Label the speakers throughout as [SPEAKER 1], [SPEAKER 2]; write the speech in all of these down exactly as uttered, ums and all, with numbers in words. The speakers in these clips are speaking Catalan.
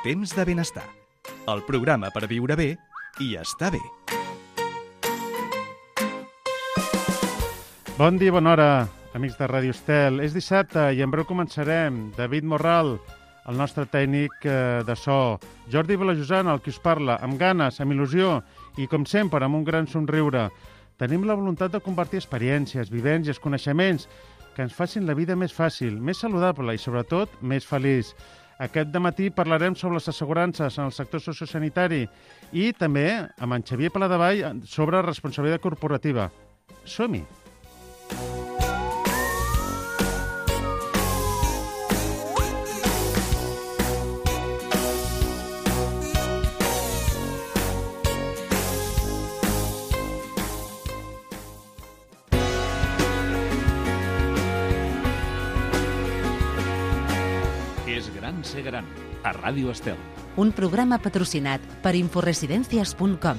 [SPEAKER 1] Temps de benestar. El programa per viure bé i estar bé.
[SPEAKER 2] Bon dia, bona hora, amics de Ràdio Estel. És dissabte i en breu començarem. David Morral, el nostre tècnic de so. Jordi Vilajosana, el qui us parla, amb ganes, amb il·lusió i, com sempre, amb un gran somriure. Tenim la voluntat de compartir experiències, vivències, coneixements que ens facin la vida més fàcil, més saludable i, sobretot, més feliç. Aquest dematí parlarem sobre les assegurances en el sector sociosanitari i també amb en Xavier Paladevall sobre responsabilitat corporativa. Som-hi!
[SPEAKER 3] Ser gran, a Ràdio Estel.
[SPEAKER 4] Un programa patrocinat per inforesidencias punt com.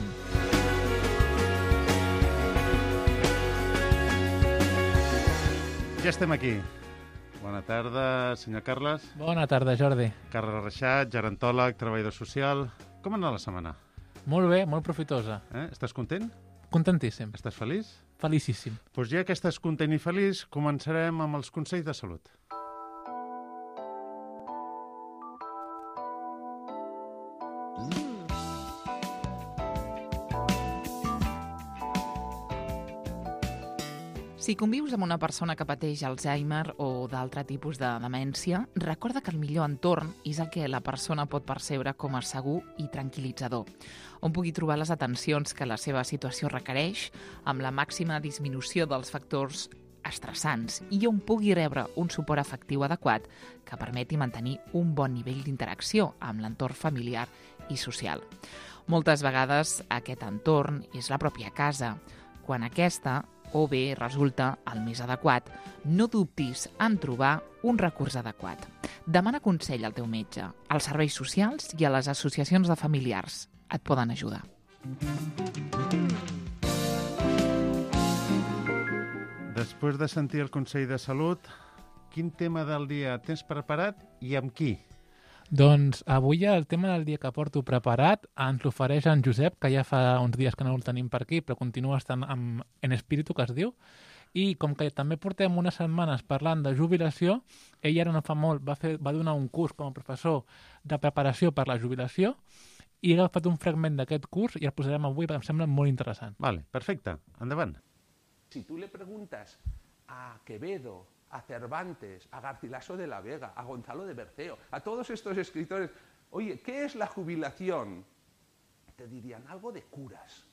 [SPEAKER 2] Ja estem aquí. Bona tarda, senyor Carles.
[SPEAKER 5] Bona tarda, Jordi.
[SPEAKER 2] Carles Reixat, gerontòleg, treballador social. Com ha anat la setmana?
[SPEAKER 5] Molt bé, molt profitosa.
[SPEAKER 2] Eh? Estàs content?
[SPEAKER 5] Contentíssim.
[SPEAKER 2] Estàs feliç?
[SPEAKER 5] Felicíssim.
[SPEAKER 2] Doncs ja que estàs content i feliç, començarem amb els consells de salut.
[SPEAKER 6] Si convius amb una persona que pateix Alzheimer o d'altre tipus de demència, recorda que el millor entorn és el que la persona pot percebre com a segur i tranquil·litzador, on pugui trobar les atencions que la seva situació requereix, amb la màxima disminució dels factors estressants i on pugui rebre un suport afectiu adequat que permeti mantenir un bon nivell d'interacció amb l'entorn familiar i social. Moltes vegades aquest entorn és la pròpia casa, quan aquesta o bé resulta el més adequat, no dubtis en trobar un recurs adequat. Demana consell al teu metge, als serveis socials i a les associacions de familiars. Et poden ajudar.
[SPEAKER 2] Després de sentir el Consell de Salut, quin tema del dia tens preparat i amb qui?
[SPEAKER 5] Doncs avui el tema del dia que porto preparat ens l'ofereix en Josep, que ja fa uns dies que no el tenim per aquí, però continua estant en, en espíritu, que es diu, i com que també portem unes setmanes parlant de jubilació, ell ara no fa molt va, fer, va donar un curs com a professor de preparació per la jubilació i he agafat un fragment d'aquest curs i el posarem avui, em sembla molt interessant.
[SPEAKER 2] Vale, perfecte, endavant.
[SPEAKER 7] Si tú le preguntas a Quevedo, a Cervantes, a Garcilaso de la Vega, a Gonzalo de Berceo, a todos estos escritores, oye, ¿qué es la jubilación? Te dirían algo de curas.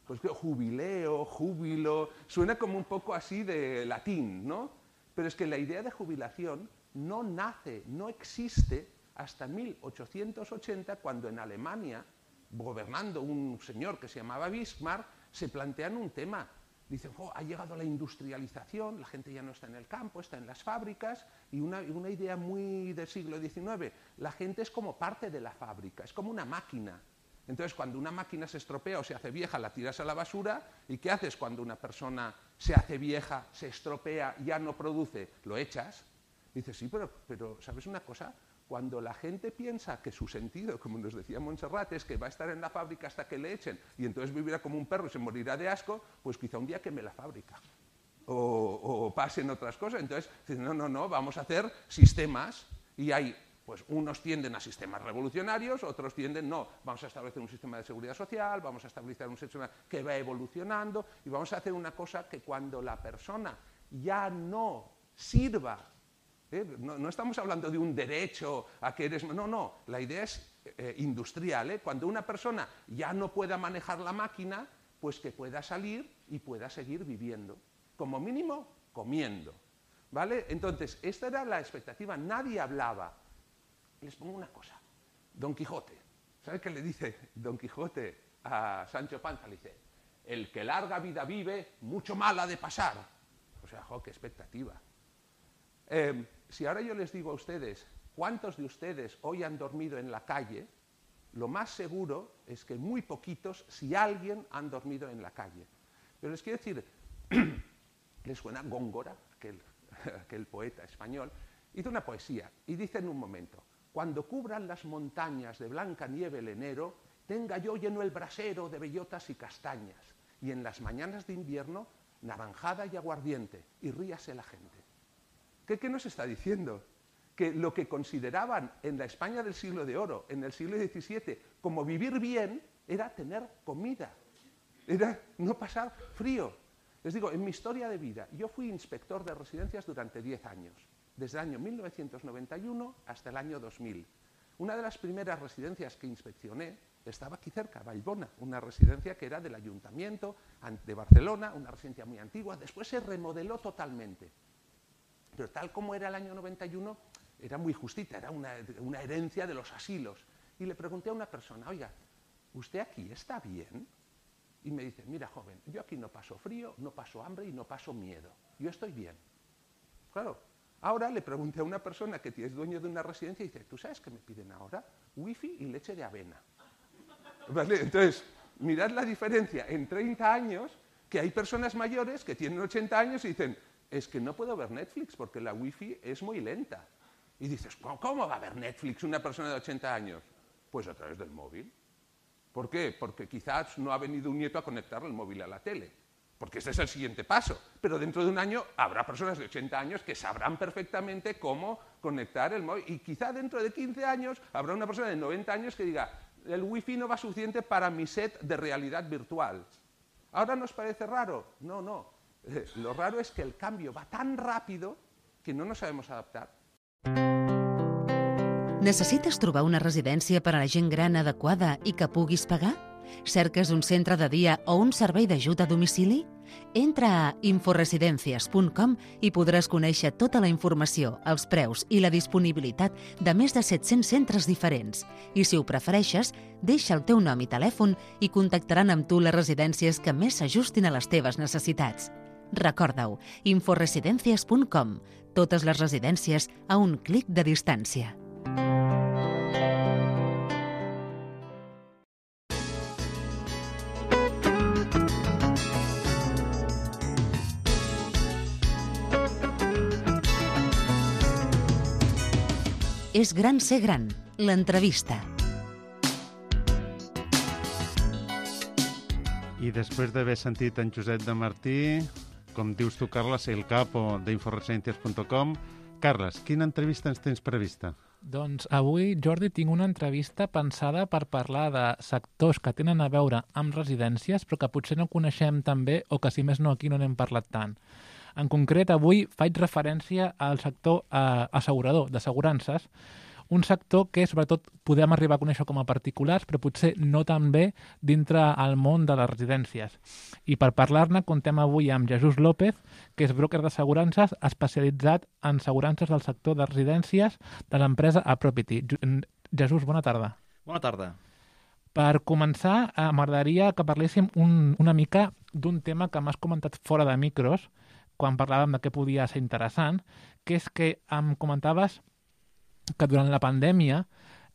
[SPEAKER 7] Pues que jubileo, júbilo, suena como un poco así de latín, ¿no? Pero es que la idea de jubilación no nace, no existe hasta mil ochocientos ochenta, cuando en Alemania, gobernando un señor que se llamaba Bismarck, se plantean un tema. Dicen, oh, ha llegado la industrialización, la gente ya no está en el campo, está en las fábricas, y una, una idea muy del siglo diecinueve, la gente es como parte de la fábrica, es como una máquina. Entonces, cuando una máquina se estropea o se hace vieja, la tiras a la basura, ¿y qué haces cuando una persona se hace vieja, se estropea, ya no produce? Lo echas. Dices, sí, pero, pero ¿sabes una cosa? Cuando la gente piensa que su sentido, como nos decía Montserrat, es que va a estar en la fábrica hasta que le echen y entonces vivirá como un perro y se morirá de asco, pues quizá un día queme la fábrica o, o pasen otras cosas. Entonces, no, no, no, vamos a hacer sistemas y hay, pues unos tienden a sistemas revolucionarios, otros tienden, no, vamos a establecer un sistema de seguridad social, vamos a establecer un sistema que va evolucionando y vamos a hacer una cosa que cuando la persona ya no sirva. ¿Eh? No, no estamos hablando de un derecho a que eres... No, no, la idea es eh, industrial. ¿eh? Cuando una persona ya no pueda manejar la máquina, pues que pueda salir y pueda seguir viviendo. Como mínimo, comiendo. ¿Vale? Entonces, esta era la expectativa. Nadie hablaba. Les pongo una cosa. Don Quijote. ¿Sabe qué le dice Don Quijote a Sancho Panza? Le dice, el que larga vida vive, mucho mal ha de pasar. O sea, jo, qué expectativa. Eh, si ahora yo les digo a ustedes, ¿cuántos de ustedes hoy han dormido en la calle? Lo más seguro es que muy poquitos, si alguien, han dormido en la calle. Pero les quiero decir, ¿les suena Góngora, aquel, aquel poeta español? Hizo una poesía y dice en un momento, cuando cubran las montañas de blanca nieve el enero, tenga yo lleno el brasero de bellotas y castañas, y en las mañanas de invierno, naranjada y aguardiente, y ríase la gente. ¿Qué, qué nos está diciendo? Que lo que consideraban en la España del siglo de oro, en el siglo diecisiete, como vivir bien, era tener comida, era no pasar frío. Les digo, en mi historia de vida, yo fui inspector de residencias durante diez años, desde el año mil novecientos noventa y uno hasta el año dos mil. Una de las primeras residencias que inspeccioné estaba aquí cerca, Vallbona, una residencia que era del Ayuntamiento de Barcelona, una residencia muy antigua, después se remodeló totalmente. Pero tal como era el año noventa y uno, era muy justita, era una, una herencia de los asilos. Y le pregunté a una persona, oiga, ¿usted aquí está bien? Y me dice, mira joven, yo aquí no paso frío, no paso hambre y no paso miedo. Yo estoy bien. Claro, ahora le pregunté a una persona que es dueño de una residencia y dice, ¿tú sabes qué me piden ahora? Wifi y leche de avena. ¿Vale? Entonces, mirad la diferencia en treinta años, que hay personas mayores que tienen ochenta años y dicen, es que no puedo ver Netflix porque la wifi es muy lenta. Y dices, ¿cómo va a ver Netflix una persona de ochenta años? Pues a través del móvil. ¿Por qué? Porque quizás no ha venido un nieto a conectar el móvil a la tele, porque ese es el siguiente paso. Pero dentro de un año habrá personas de ochenta años que sabrán perfectamente cómo conectar el móvil. Y quizá dentro de quince años habrá una persona de noventa años que diga, el wifi no va suficiente para mi set de realidad virtual. ¿Ahora nos parece raro? No, no. Eh, lo raro es que el cambio va tan rápido que no nos sabemos adaptar.
[SPEAKER 4] Necessites trobar una residència per a la gent gran adequada i que puguis pagar? Cerques un centre de dia o un servei d'ajut a domicili? Entra a inforesidencias punt com i podràs conèixer tota la informació, els preus i la disponibilitat de més de set-cents centres diferents. I si ho prefereixes, deixa el teu nom i telèfon i contactaran amb tu les residències que més s'ajustin a les teves necessitats. Recorda-ho, inforesidencias punt com. Totes les residències a un clic de distància. És gran ser gran, l'entrevista.
[SPEAKER 2] I després d'haver sentit en Josep de Martí, com dius tu, Carles, el capo d'inforesidencias punt com, Carles, quina entrevista ens tens prevista?
[SPEAKER 5] Doncs avui, Jordi, tinc una entrevista pensada per parlar de sectors que tenen a veure amb residències, però que potser no coneixem tan bé o que, si més no, aquí no n'hem parlat tant. En concret, avui faig referència al sector eh, assegurador, d'assegurances, un sector que sobretot podem arribar a conèixer com a particulars, però potser no tan bé dintre el món de les residències. I per parlar-ne contem avui amb Jesús López, que és broker d'assegurances especialitzat en assegurances del sector de residències de l'empresa Apropity. Jesús, bona tarda.
[SPEAKER 8] Bona tarda.
[SPEAKER 5] Per començar, eh, m'agradaria que parléssim un, una mica d'un tema que m'has comentat fora de micros, quan parlàvem de què podia ser interessant, que és que em comentaves que durant la pandèmia,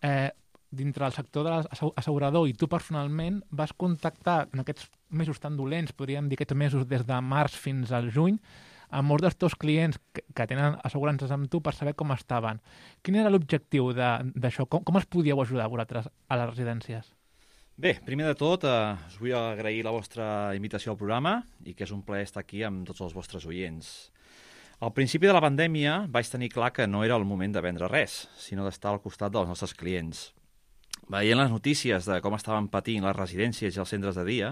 [SPEAKER 5] eh, dintre del sector de l'assegurador i tu personalment vas contactar en aquests mesos tan dolents, podríem dir aquests mesos des de març fins al juny, amb molts dels teus clients que, que tenen assegurances amb tu per saber com estaven. Quin era l'objectiu d'això? Com, com els podíeu ajudar vosaltres a les residències?
[SPEAKER 8] Bé, primer de tot, eh, us vull agrair la vostra invitació al programa i que és un plaer estar aquí amb tots els vostres oients. Al principi de la pandèmia vaig tenir clar que no era el moment de vendre res, sinó d'estar al costat dels nostres clients. Veient les notícies de com estaven patint les residències i els centres de dia,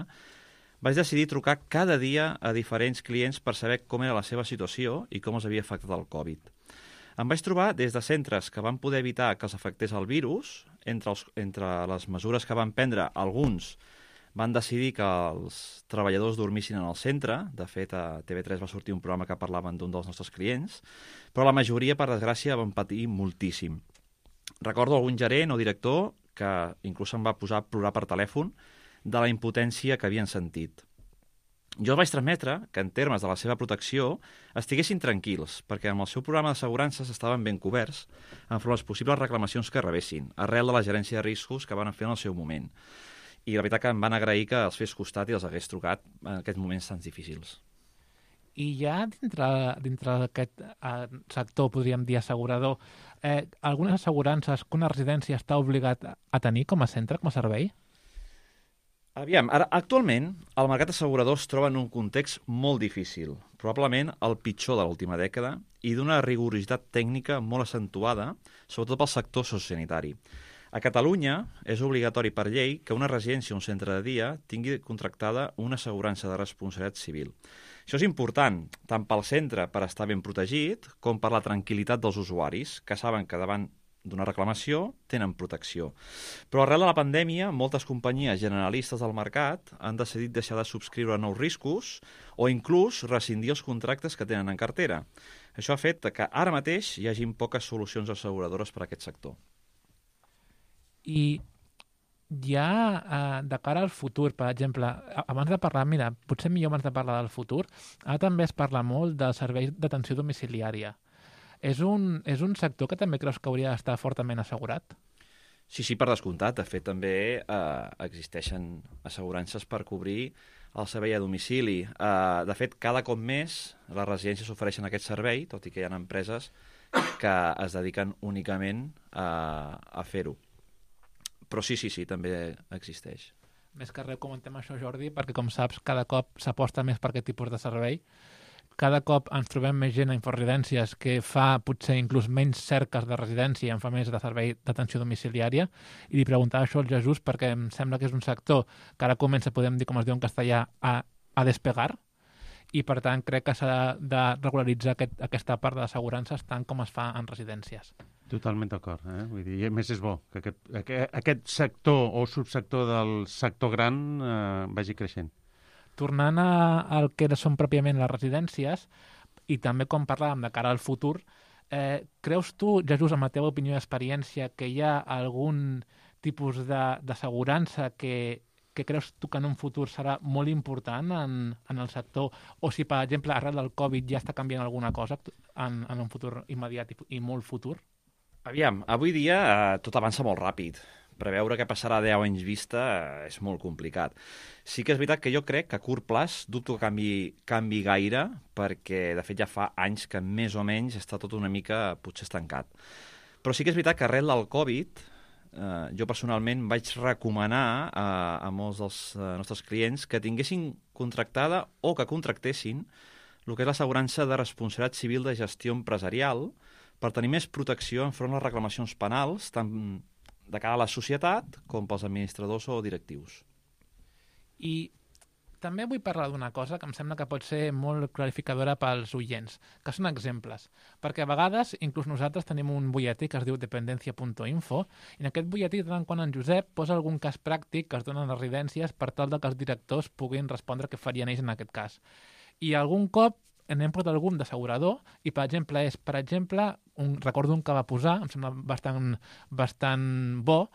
[SPEAKER 8] vaig decidir trucar cada dia a diferents clients per saber com era la seva situació i com els havia afectat el Covid. Em vaig trobar des de centres que van poder evitar que els afectés el virus, entre, els, entre les mesures que van prendre, alguns van decidir que els treballadors dormissin en el centre. De fet, a T V tres va sortir un programa que parlaven d'un dels nostres clients, però la majoria, per desgràcia, van patir moltíssim. Recordo algun gerent o director que inclús em va posar a plorar per telèfon de la impotència que havien sentit. Jo vaig transmetre que en termes de la seva protecció estiguessin tranquils, perquè amb el seu programa d'assegurances estaven ben coberts enfront les possibles reclamacions que rebessin, arrel de la gerència de riscos que van fer en el seu moment. I la veritat que em van agrair que els fes costat i els hagués trucat en aquests moments tan difícils.
[SPEAKER 5] I ja dintre, dintre d'aquest eh, sector, podríem dir assegurador, eh, algunes assegurances que una residència està obligat a tenir com a centre, com a servei?
[SPEAKER 8] Aviam, ara, actualment, el mercat assegurador es troba en un context molt difícil, probablement el pitjor de l'última dècada, i d'una rigorositat tècnica molt accentuada, sobretot pel sector sociosanitari. A Catalunya és obligatori per llei que una residència o un centre de dia tingui contractada una assegurança de responsabilitat civil. Això és important tant pel centre per estar ben protegit com per la tranquil·litat dels usuaris, que saben que davant d'una reclamació tenen protecció. Però arrel de la pandèmia, moltes companyies generalistes del mercat han decidit deixar de subscriure nous riscos o inclús rescindir els contractes que tenen en cartera. Això ha fet que ara mateix hi hagin poques solucions asseguradores per a aquest sector.
[SPEAKER 5] I ja eh, de cara al futur, per exemple, abans de parlar, mira, potser millor abans de parlar del futur, ara també es parla molt dels serveis d'atenció domiciliària. És un, és un sector que també creus que hauria d'estar fortament assegurat?
[SPEAKER 8] Sí, sí, per descomptat. De fet, també eh, existeixen assegurances per cobrir el servei a domicili. Eh, de fet, cada cop més les residències ofereixen aquest servei, tot i que hi ha empreses que es dediquen únicament a, a fer-ho. Però sí, sí, sí, també existeix.
[SPEAKER 5] Més que res comentem això, Jordi, perquè com saps, cada cop s'aposta més per aquest tipus de servei. Cada cop ens trobem més gent a Inforesidències que fa potser inclús menys cerques de residència i en fa més de servei d'atenció domiciliària. I li preguntava això al Jesús perquè em sembla que és un sector que ara comença, podem dir com es diu en castellà, a, a despegar, i per tant crec que s'ha de regularitzar aquest, aquesta part de l'assegurances tant com es fa en residències.
[SPEAKER 2] Totalment d'acord. Eh? Vull dir, a més és bo que aquest, aquest, aquest sector o subsector del sector gran eh, vagi creixent.
[SPEAKER 5] Tornant a, al que són pròpiament les residències, i també com parlàvem de cara al futur, eh, creus tu, Jesús, amb la teva opinió i experiència, que hi ha algun tipus d'assegurança que, que creus tu que en un futur serà molt important en, en el sector, o si, per exemple, arrel del Covid ja està canviant alguna cosa en, en un futur immediat i, i molt futur?
[SPEAKER 8] Aviam, avui dia eh, tot avança molt ràpid. Preveure què passarà a deu anys vista eh, és molt complicat. Sí que és veritat que jo crec que a curt plaç dubto que canvi, canvi gaire, perquè de fet ja fa anys que més o menys està tot una mica potser estancat. Però sí que és veritat que arrel del Covid, eh, jo personalment vaig recomanar a, a molts dels eh, nostres clients que tinguessin contractada o que contractessin el que és l'assegurança de responsabilitat civil de gestió empresarial per tenir més protecció enfront les reclamacions penals, tant de cara a la societat com pels administradors o directius.
[SPEAKER 5] I també vull parlar d'una cosa que em sembla que pot ser molt clarificadora pels oients, que són exemples. Perquè a vegades, inclús nosaltres tenim un butlletí que es diu dependencia punt info, i en aquest butlletí, de tant quan en Josep posa algun cas pràctic que es donen a les residències per tal que els directors puguin respondre què farien ells en aquest cas. I algun cop n'hem portat algun d'assegurador i, per exemple, és, per exemple, un, recordo un que va posar, em sembla bastant, bastant bo,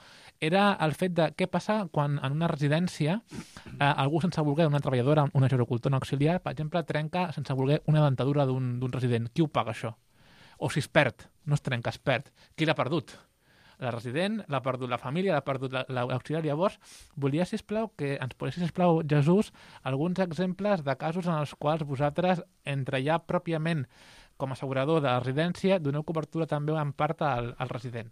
[SPEAKER 5] era el fet de què passa quan en una residència eh, algú sense voler, una treballadora, una gerocultora, un auxiliar, per exemple, trenca sense voler una dentadura d'un resident. Qui ho paga, això? O si es perd, no es trenca, es perd. Qui l'ha perdut? La resident, l'ha perdut la família, l'ha perdut l'auxiliar. Llavors, volia, sisplau, que ens posessis, sisplau, Jesús, alguns exemples de casos en els quals vosaltres, entre ja pròpiament com a assegurador de la residència, doneu cobertura també en part al, al resident.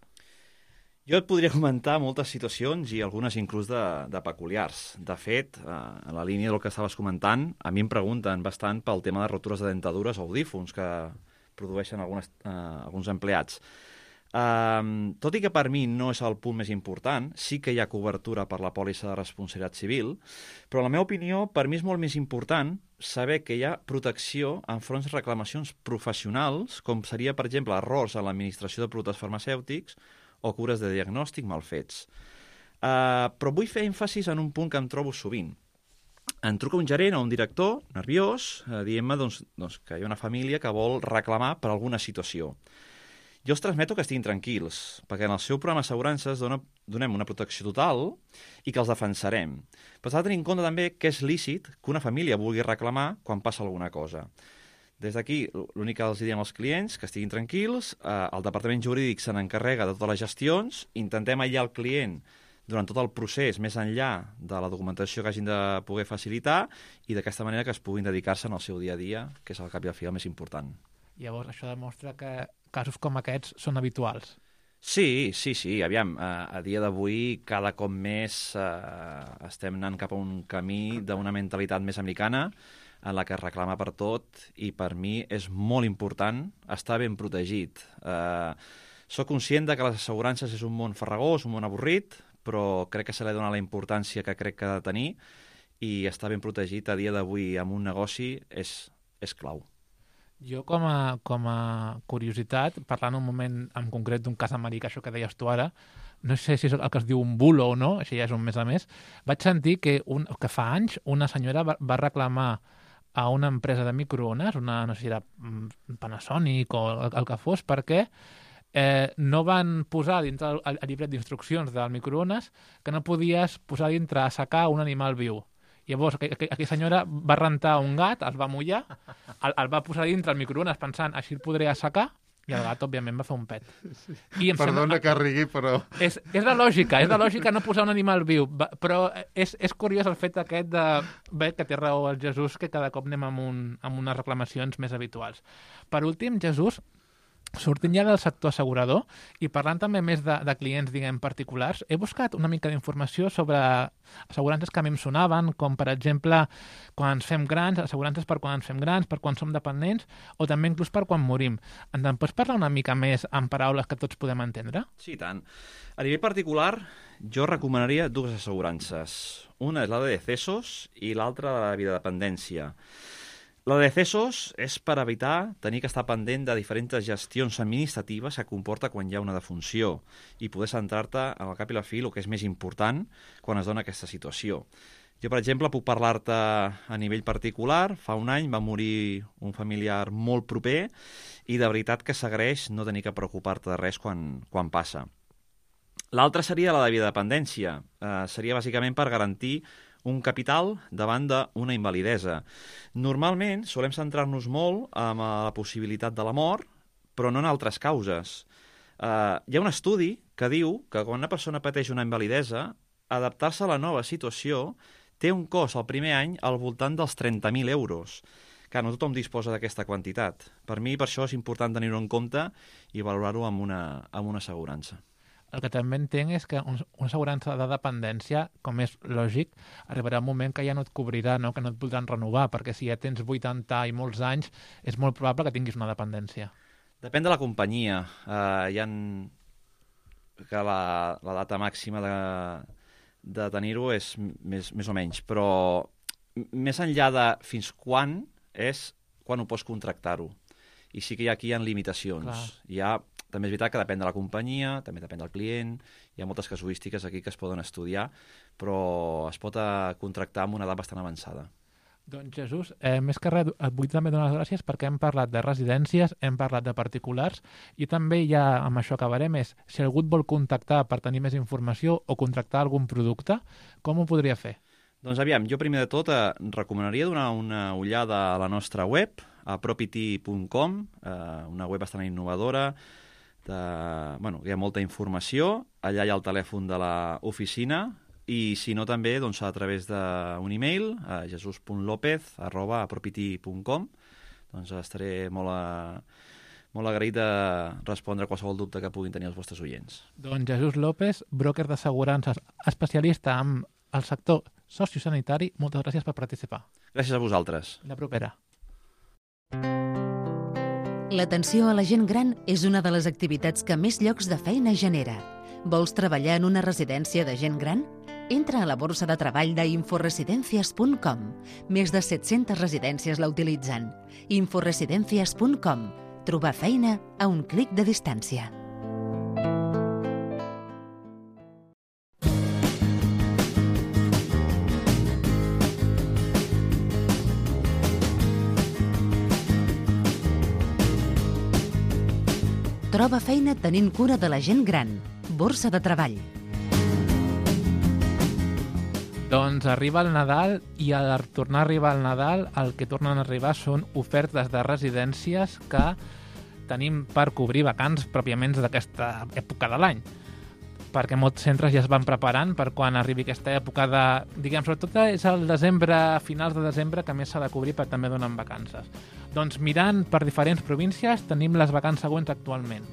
[SPEAKER 8] Jo et podria comentar moltes situacions i algunes inclús de, de peculiars. De fet, eh, en la línia del que estaves comentant, a mi em pregunten bastant pel tema de rotures de dentadures o audífons que produeixen algunes, eh, alguns empleats. Um, tot i que per mi no és el punt més important, sí que hi ha cobertura per la pòlissa de responsabilitat civil, però en la meva opinió, per mi és molt més important saber que hi ha protecció enfront de reclamacions professionals, com seria, per exemple, errors en l'administració de productes farmacèutics o cures de diagnòstic mal fets. Uh, però vull fer èmfasis en un punt que em trobo sovint. Em truca un gerent o un director nerviós uh, dient-me doncs, doncs, que hi ha una família que vol reclamar per alguna situació. Jo els transmeto que estiguin tranquils, perquè en el seu programa d'assegurances dona, donem una protecció total i que els defensarem. Però s'ha de tenir en compte també que és lícit que una família vulgui reclamar quan passa alguna cosa. Des d'aquí, l'únic que els diem als clients, que estiguin tranquils, eh, el departament jurídic se n'encarrega de totes les gestions, intentem aïllar el client durant tot el procés, més enllà de la documentació que hagin de poder facilitar i d'aquesta manera que es puguin dedicar-se en el seu dia a dia, que és al cap i al fi el més important.
[SPEAKER 5] Llavors, això demostra que casos com aquests són habituals.
[SPEAKER 8] Sí, sí, sí. Aviam, a, a dia d'avui cada cop més eh, estem anant cap a un camí d'una mentalitat més americana en la que es reclama per tot i per mi és molt important estar ben protegit. Eh, soc conscient de que les assegurances és un món farragós, un món avorrit, però crec que se li dona la importància que crec que ha de tenir i estar ben protegit a dia d'avui amb un negoci és, és clau.
[SPEAKER 5] Jo, com a, com a curiositat, parlant un moment en concret d'un cas americà, això que deies tu ara, no sé si és el que es diu un bulo o no, això ja és un més a més, vaig sentir que, un, que fa anys una senyora va, va reclamar a una empresa de microones, una, no sé si era Panasonic o el, el que fos, perquè eh, no van posar dintre el, el llibret d'instruccions del microones que no podies posar dintre a assecar un animal viu. Llavors, aquella senyora va rentar un gat, el va mullar, el, el va posar dintre el microones pensant així el podré assecar, i el gat, òbviament, va fer un pet. I em
[SPEAKER 2] Perdona
[SPEAKER 5] sembla...
[SPEAKER 2] que rigui, però...
[SPEAKER 5] És, és la lògica, és la lògica no posar un animal viu, però és, és curiós el fet aquest de... Bé, que té raó el Jesús, que cada cop anem amb, un, amb unes reclamacions més habituals. Per últim, Jesús, sortint ja del sector assegurador i parlant també més de, de clients, diguem, particulars, he buscat una mica d'informació sobre assegurances que a mi em sonaven, com, per exemple, quan ens fem grans, assegurances per quan ens fem grans, per quan som dependents, o també inclús per quan morim. Ens en pots parlar una mica més en paraules que tots podem entendre?
[SPEAKER 8] Sí, tant. A nivell particular, jo recomanaria dues assegurances. Una és la de decesos i l'altra la de vida dependència. La de decesos és per evitar tenir que estar pendent de diferents gestions administratives que comporta quan hi ha una defunció i poder centrar-te al cap i la fi el que és més important quan es dona aquesta situació. Jo, per exemple, puc parlar-te a nivell particular. Fa un any va morir un familiar molt proper i de veritat que s'agraeix no tenir que preocupar-te de res quan, quan passa. L'altra seria la de vida dependència. Eh, seria bàsicament per garantir un capital davant d'una invalidesa. Normalment solem centrar-nos molt en la possibilitat de la mort, però no en altres causes. Uh, hi ha un estudi que diu que quan una persona pateix una invalidesa, adaptar-se a la nova situació té un cost al primer any al voltant dels trenta mil euros. Que no tothom disposa d'aquesta quantitat. Per mi, per això és important tenir-ho en compte i valorar-ho amb una, amb una assegurança.
[SPEAKER 5] El que també entenc és que una assegurança de dependència, com és lògic, arribarà un moment que ja no et cobrirà, no? Que no et podran renovar, perquè si ja tens vuitanta i molts anys, és molt probable que tinguis una dependència.
[SPEAKER 8] Depèn de la companyia. Uh, hi ha que la, la data màxima de, de tenir-ho és més, més o menys, però més enllà de fins quan és quan ho pots contractar-ho. I sí que hi ha aquí hi ha limitacions. Clar. Hi ha També és veritat que depèn de la companyia, també depèn del client, hi ha moltes casuístiques aquí que es poden estudiar, però es pot contractar amb una edat bastant avançada.
[SPEAKER 5] Doncs Jesús, eh, més que res, et vull també donar les gràcies perquè hem parlat de residències, hem parlat de particulars, i també ja amb això acabarem, és si algú et vol contactar per tenir més informació o contractar algun producte, com ho podria fer?
[SPEAKER 8] Doncs aviam, jo primer de tot eh, recomanaria donar una ullada a la nostra web, a propity punt com, eh, una web bastant innovadora. De, bueno, hi ha molta informació, allà hi ha el telèfon de l'oficina i si no també doncs, a través d'un e-mail a jesús punt lópez arroba propity punt com doncs estaré molt, a, molt agraït de respondre a qualsevol dubte que puguin tenir els vostres oients.
[SPEAKER 5] Doncs Jesús López, broker d'assegurances, especialista en el sector sociosanitari, moltes gràcies per participar.
[SPEAKER 8] Gràcies a vosaltres.
[SPEAKER 5] La propera.
[SPEAKER 4] L'atenció a la gent gran és una de les activitats que més llocs de feina genera. Vols treballar en una residència de gent gran? Entra a la borsa de treball d'inforesidencias punt com. Més de set-centes residències la utilitzen. inforesidencias punt com. Trobar feina a un clic de distància. Troba feina tenint cura de la gent gran. Borsa de treball.
[SPEAKER 5] Doncs arriba el Nadal i al tornar a arribar el Nadal el que tornen a arribar són ofertes de residències que tenim per cobrir vacants pròpiament d'aquesta època de l'any. perquè molts centres ja es van preparant per quan arribi aquesta època de, diguem, sobretot és el desembre, finals de desembre, que més s'ha de cobrir perquè també donen vacances. Doncs mirant per diferents províncies tenim les vacances següents actualment.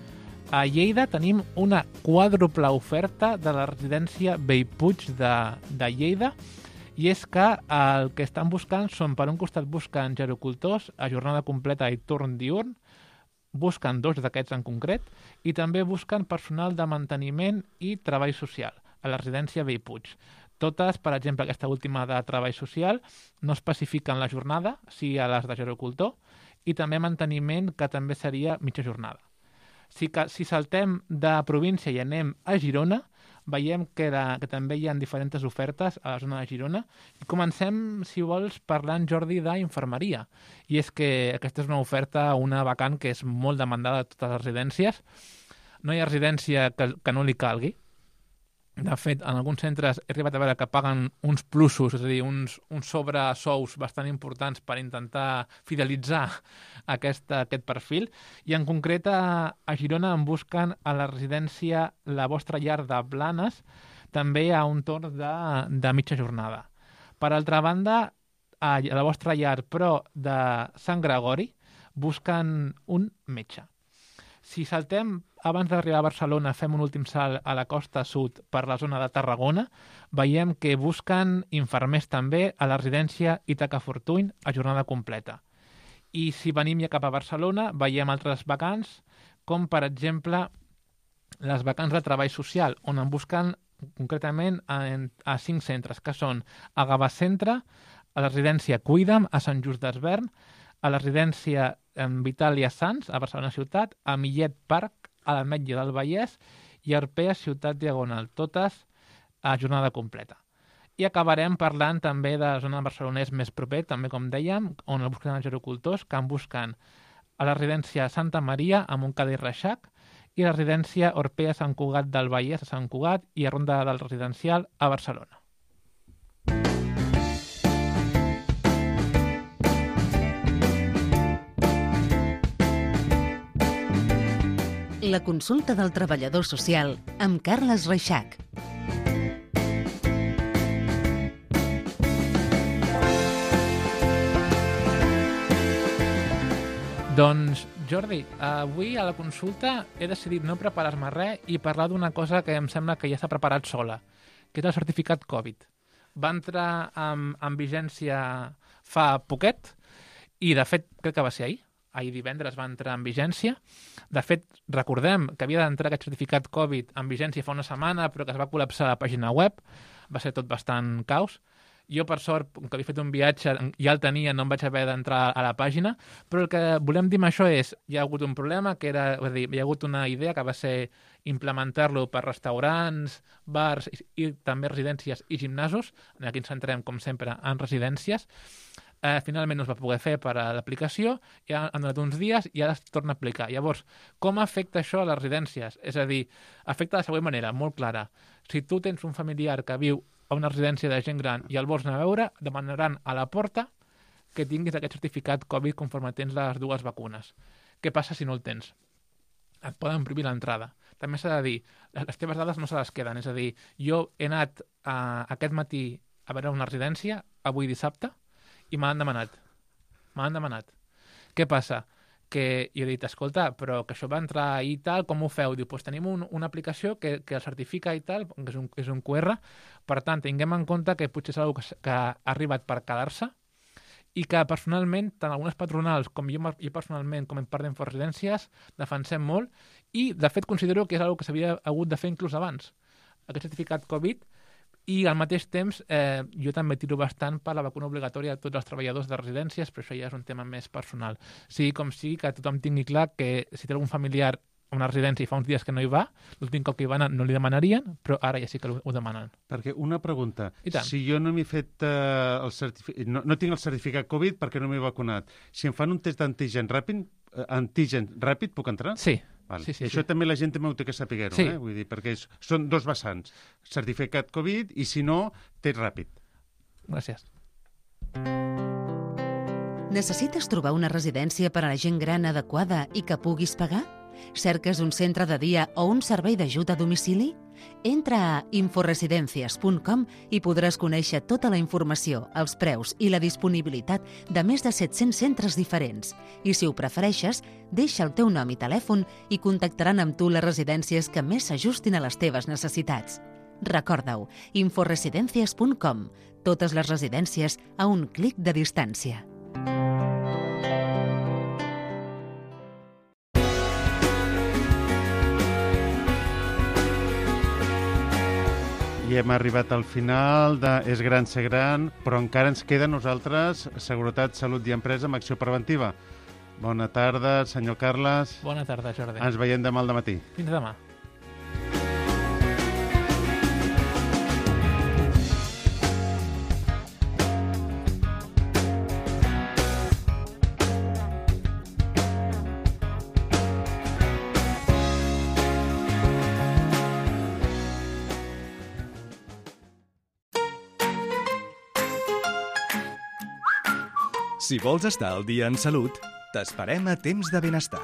[SPEAKER 5] A Lleida tenim una quàdruple oferta de la residència Bellpuig de, de Lleida, i és que el que estan buscant són, per un costat busquen gerocultors a jornada completa i torn diurn, busquen dos d'aquests en concret, i també busquen personal de manteniment i treball social a la residència Bellpuig. Totes, per exemple, aquesta última de treball social, no especifiquen la jornada, sí a les de gerocultor, i també manteniment, que també seria mitja jornada. Si, que, si saltem de província i anem a Girona, veiem que, la, que també hi ha diferents ofertes a la zona de Girona. I comencem, si vols, parlant, Jordi, d'infermeria. I és que aquesta és una oferta, una vacant que és molt demandada a totes les residències. No hi ha residència que, que no li calgui. De fet, en alguns centres he arribat a veure que paguen uns plusos, és a dir, uns, uns sobresous bastant importants per intentar fidelitzar aquesta, aquest perfil. I en concret a, a Girona en busquen a la residència La Vostra Llar de Blanes, també a un torn de, de mitja jornada. Per altra banda, a La Vostra Llar, però de Sant Gregori, busquen un metge. Si saltem, abans d'arribar a Barcelona, fem un últim salt a la costa sud per la zona de Tarragona, veiem que busquen infermers també a la residència Ítaca Fortuny a jornada completa. I si venim ja cap a Barcelona, veiem altres vacants, com per exemple les vacants de treball social, on en busquen concretament a, a cinc centres, que són a Gavà Centre, a la residència Cuida'm, a Sant Just d'Esvern, a la residència Vitàlia Sants, a Barcelona Ciutat, a Millet Parc, a l'Ametlla del Vallès i a Arpea Ciutat Diagonal, totes a jornada completa. I acabarem parlant també de la zona de Barcelonès més proper, també com dèiem, on el busquen els gerocultors, que en busquen a la residència Santa Maria, a Montcada i Reixac, i a la residència Orpea Sant Cugat del Vallès, a Sant Cugat, i a Ronda del Residencial, a Barcelona.
[SPEAKER 4] La consulta del treballador social amb Carles Reixac.
[SPEAKER 5] Doncs, Jordi, avui a la consulta he decidit no preparar-me res i parlar d'una cosa que em sembla que ja s'ha preparat sola, que és el certificat Covid. Va entrar en, en vigència fa poquet i, de fet, crec que va ser ahir. Ahir divendres va entrar en vigència. De fet, recordem que havia d'entrar aquest certificat Covid en vigència fa una setmana, però que es va col·lapsar la pàgina web. Va ser tot bastant caos. Jo, per sort, com que havia fet un viatge, ja el tenia, no em vaig haver d'entrar a la pàgina, però el que volem dir amb això és hi ha hagut un problema, que era, és a dir, hi ha hagut una idea que va ser implementar-lo per restaurants, bars i, i també residències i gimnasos. Aquí ens centrem, com sempre, en residències. Eh, finalment no es va poder fer per a l'aplicació, ja han donat uns dies i ara es torna a aplicar. Llavors, com afecta això a les residències? És a dir, afecta de la següent manera, molt clara. Si tu tens un familiar que viu a una residència de gent gran i el vols anar a veure, demanaran a la porta que tinguis aquest certificat Covid conforme tens les dues vacunes. Què passa si no el tens? Et poden prohibir l'entrada. També s'ha de dir, les teves dades no se les queden. És a dir, jo he anat a, aquest matí a veure una residència, avui dissabte, i m'han demanat. M'han demanat. Què passa? Que jo he dit, escolta, però que això va entrar ahir i tal, com ho feu? Diu, doncs tenim un, una aplicació que, que el certifica i tal, que és un, és un Q R, per tant, tinguem en compte que potser és una cosa que ha arribat per quedar-se i que personalment, tant algunes patronals com jo, jo personalment, com en part d'Inforesidències, defensem molt i, de fet, considero que és una cosa que s'havia hagut de fer inclús abans. Aquest certificat Covid. I al mateix temps eh, jo també tiro bastant per la vacuna obligatòria a tots els treballadors de residències, però això ja és un tema més personal. Sigui com sigui, que tothom tingui clar que si té algun familiar a una residència i fa uns dies que no hi va, l'últim cop que hi va anar no li demanarien, però ara ja sí que ho demanen.
[SPEAKER 2] Perquè una pregunta, si jo no m'he fet uh, el certificat, no, no tinc el certificat Covid perquè no m'he vacunat, si em fan un test d'antigen ràpid, uh, antigen ràpid, puc entrar?
[SPEAKER 5] Sí.
[SPEAKER 2] Vale.
[SPEAKER 5] Sí, sí,
[SPEAKER 2] I això
[SPEAKER 5] sí.
[SPEAKER 2] també la gent també ho té que saber-ho,
[SPEAKER 5] sí.
[SPEAKER 2] eh? Vull dir, perquè és, són dos vessants, certificat Covid i, si no, test ràpid.
[SPEAKER 5] Gràcies.
[SPEAKER 4] Necessites trobar una residència per a la gent gran adequada i que puguis pagar? Cerques un centre de dia o un servei d'ajut a domicili? Entra a inforesidencias punt com i podràs conèixer tota la informació, els preus i la disponibilitat de més de set-cents centres diferents. I si ho prefereixes, deixa el teu nom i telèfon i contactaran amb tu les residències que més s'ajustin a les teves necessitats. Recorda-ho, inforesidencias punt com. Totes les residències a un clic de distància.
[SPEAKER 2] I hem arribat al final de És gran ser gran, però encara ens queda a nosaltres Seguretat, Salut i Empresa amb Acció Preventiva. Bona tarda, senyor Carles.
[SPEAKER 5] Bona tarda, Jordi.
[SPEAKER 2] Ens veiem demà al dematí.
[SPEAKER 5] Fins demà.
[SPEAKER 1] Si vols estar al dia en salut, t'esperem a Temps de Benestar.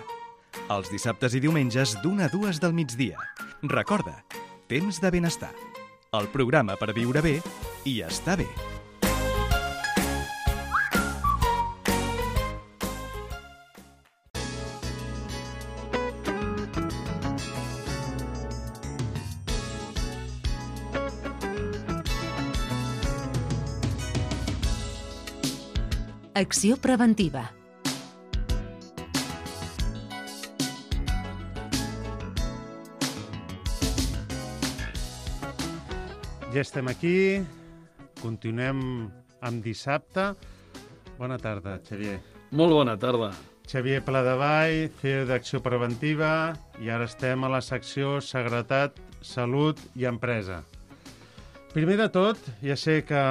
[SPEAKER 1] Els dissabtes i diumenges d'una a dues del migdia. Recorda, Temps de Benestar. El programa per viure bé i estar bé.
[SPEAKER 4] Acció preventiva.
[SPEAKER 2] Ja estem aquí, continuem amb dissabte. Bona tarda, Xavier.
[SPEAKER 9] Molt bona tarda.
[SPEAKER 2] Xavier Pladevall, C E O d'Acció Preventiva, i ara estem a la secció Seguretat, Salut i Empresa. Primer de tot, ja sé que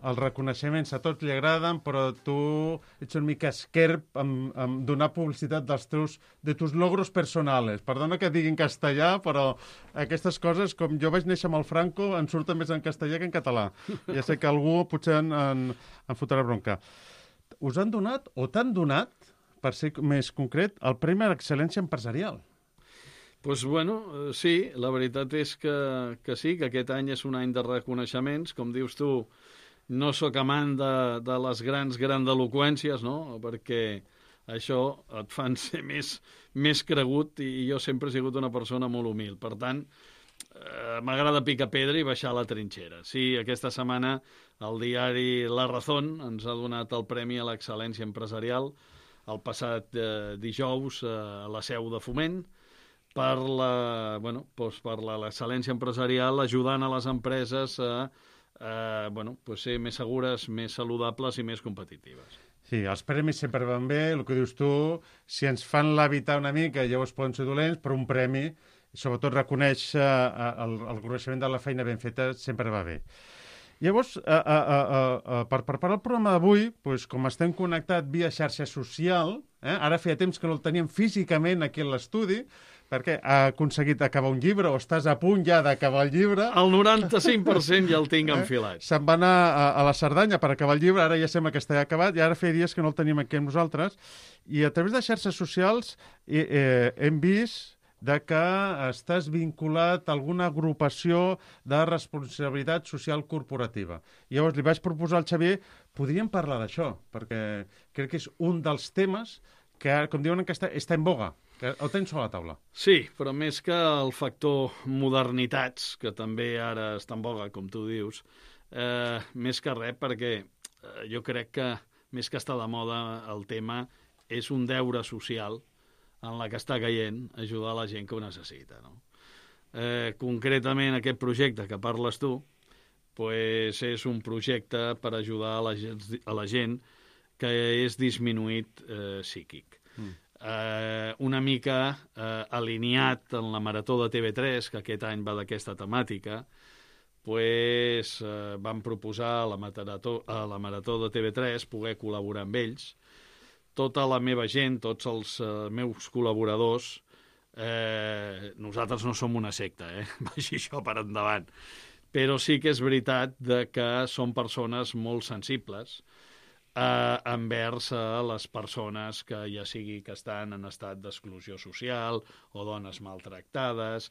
[SPEAKER 2] els reconeixements a tots li agraden, però tu ets una mica esquerp amb, amb donar publicitat dels teus, de tus logros personales. Perdona que digui en castellà, però aquestes coses, com jo vaig néixer amb el Franco, em surten més en castellà que en català. Ja sé que algú potser en, en, en fotrà bronca. Us han donat, o t'han donat, per ser més concret, el Premi a l'Excel·lència Empresarial.
[SPEAKER 9] Doncs, pues, bueno, sí, la veritat és que, que sí, que aquest any és un any de reconeixements. Com dius tu, no sóc amant de, de les grans grandeloqüències, no? Perquè això et fan ser més, més cregut, i jo sempre he sigut una persona molt humil. Per tant, eh, m'agrada picar pedra i baixar a la trinxera. Sí, aquesta setmana el diari La Razón ens ha donat el Premi a l'Excel·lència Empresarial el passat eh, dijous eh, a la seu de Foment per la, bueno, doncs per l'excel·lència empresarial, ajudant a les empreses a Eh, bueno, pues ser més segures, més saludables i més competitives.
[SPEAKER 2] Sí, els premis sempre van bé, el que dius tu, si ens fan l'habitar una mica, llavors poden ser dolents, però un premi, sobretot reconeix eh, el, el coneixement de la feina ben feta, sempre va bé. Llavors, eh, eh, eh, eh, per preparar el programa d'avui, doncs, com estem connectats via xarxa social, eh, ara feia temps que no el teníem físicament aquí a l'estudi, perquè ha aconseguit acabar un llibre, o estàs a punt ja d'acabar el llibre.
[SPEAKER 9] El noranta-cinc per cent ja el tinc
[SPEAKER 2] eh?
[SPEAKER 9] enfilat.
[SPEAKER 2] Se'n va anar a, a la Cerdanya per acabar el llibre, ara ja sembla que està acabat, i ara feia dies que no el tenim aquí amb nosaltres, i a través de xarxes socials eh, eh, hem vist de que estàs vinculat a alguna agrupació de responsabilitat social corporativa. I llavors li vaig proposar al Xavier, podríem parlar d'això, perquè crec que és un dels temes que, com diuen, que està, està en boga. El tens a la taula.
[SPEAKER 9] Sí, però més que el factor modernitats, que també ara està en boga, com tu dius, eh, més que res, perquè eh, jo crec que més que està de moda el tema és un deure social en la que està caient ajudar la gent que ho necessita, no? Eh, concretament aquest projecte que parles tu pues és un projecte per ajudar a la gent, a la gent que és disminuït eh, psíquic. Mm. Eh, una mica eh, alineat en la Marató de T V tres, que aquest any va d'aquesta temàtica, pues, eh, vam proposar a la, Marató, a la Marató de T V tres poder col·laborar amb ells. Tota la meva gent, tots els eh, meus col·laboradors, eh, nosaltres no som una secta, eh? Vagi això per endavant. Però sí que és veritat de que són persones molt sensibles Eh, envers a les persones que ja sigui que estan en estat d'exclusió social o dones maltractades,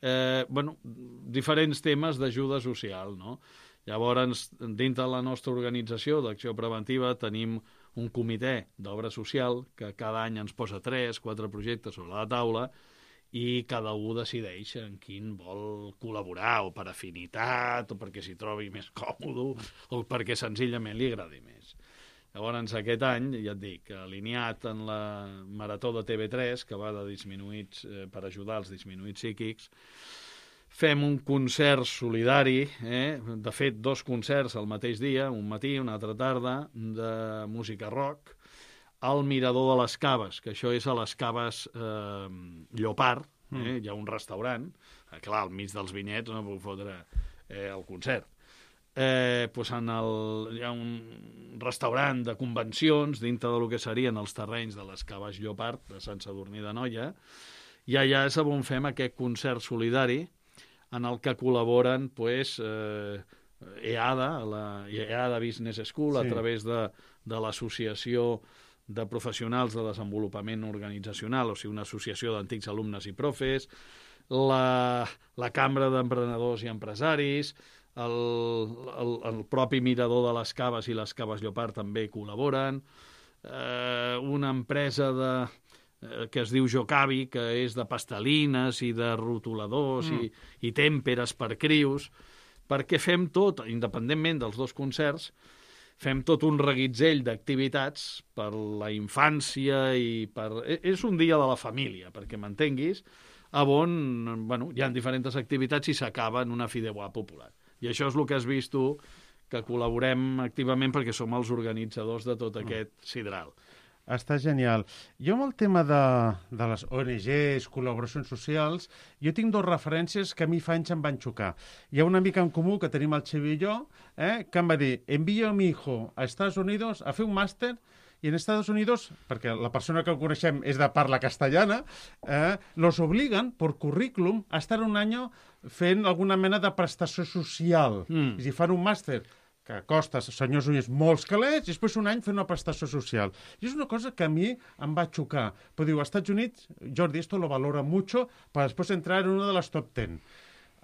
[SPEAKER 9] eh, bueno, diferents temes d'ajuda social, no? Llavors, dintre de la nostra organització d'Acció Preventiva tenim un comitè d'obra social que cada any ens posa tres, quatre projectes sobre la taula i cada un decideix en quin vol col·laborar, o per afinitat, o perquè s'hi trobi més còmode, o perquè senzillament li agradi més. Llavors, aquest any, ja et dic, alineat en la Marató de T V tres, que va de disminuïts eh, per ajudar els disminuïts psíquics, fem un concert solidari, eh? de fet, dos concerts al mateix dia, un matí, una altra tarda, de música rock, al Mirador de les Caves, que això és a les Caves eh, Llopart, eh? mm. hi ha un restaurant, eh, clar, al mig dels vinyets no puc fotre eh, el concert. Eh, pues en el, hi ha un restaurant de convencions dintre del que serien els terrenys de les Caves Llopart, de Sant Sadurní d'Anoia, i allà és on fem aquest concert solidari, en el que col·laboren pues, eh, EADA, la EADA Business School, sí. a través de, de l'Associació de Professionals de Desenvolupament Organitzacional, o sigui, una associació d'antics alumnes i profes, la, la Cambra d'Emprenedors i Empresaris, el, el, el propi Mirador de les Caves i les Caves Llopart també col·laboren, eh, una empresa de... que es diu Jocavi, que és de pastelines i de rotuladors mm. i, i tèmperes per crius, perquè fem tot, independentment dels dos concerts, fem tot un reguitzell d'activitats per la infància i per... És un dia de la família, perquè m'entenguis, on bueno, hi ha diferents activitats i s'acaba en una fideuà popular. I això és el que has vist tu, que col·laborem activament perquè som els organitzadors de tot aquest sidral.
[SPEAKER 2] Està genial. Jo amb el tema de, de les O N Ges, col·laboracions socials, jo tinc dues referències que a mi fa anys em van xocar. Hi ha una mica en comú que tenim el Xavi i jo, eh, que em va dir, envío a mi hijo a Estados Unidos a fer un màster i en Estados Unidos, perquè la persona que el coneixem és de parla castellana, eh, los obligan, per currículum, a estar un any fent alguna mena de prestació social. Mm. I si fan un màster que costa, senyors ullers, molts calés, i després un any fer una prestació social. I és una cosa que a mi em va xocar. Però diu, als Estats Units, Jordi, esto lo valora mucho para después entrar en una de las top ten.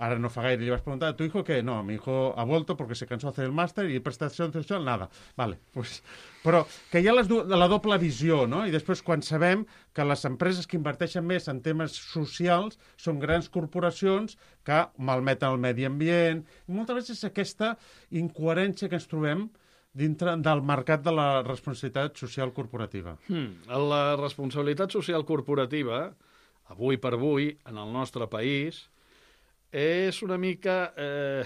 [SPEAKER 2] Ara no fa gaire, li vas preguntar a tu hijo que no, mi hijo ha vuelto porque se cansó de hacer el máster y prestació social, nada. Vale, pues... Però que hi ha les du- la doble visió, no? I després quan sabem que les empreses que inverteixen més en temes socials són grans corporacions que malmeten el medi ambient. I moltes vegades és aquesta incoherència que ens trobem dintre del mercat de la responsabilitat social corporativa.
[SPEAKER 9] Hmm. La responsabilitat social corporativa, avui per avui, en el nostre país, és una mica eh,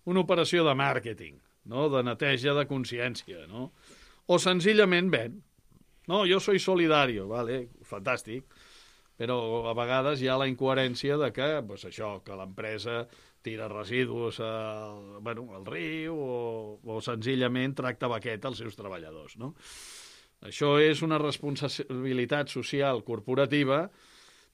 [SPEAKER 9] una operació de màrqueting, no? De neteja de consciència, no? O senzillament ven. No, jo soy solidario, vale, fantàstic, però a vegades hi ha la incoherència de que, pues això, que l'empresa tira residus al, bueno, al riu o, o senzillament tracta baqueta als seus treballadors, no? Això és una responsabilitat social corporativa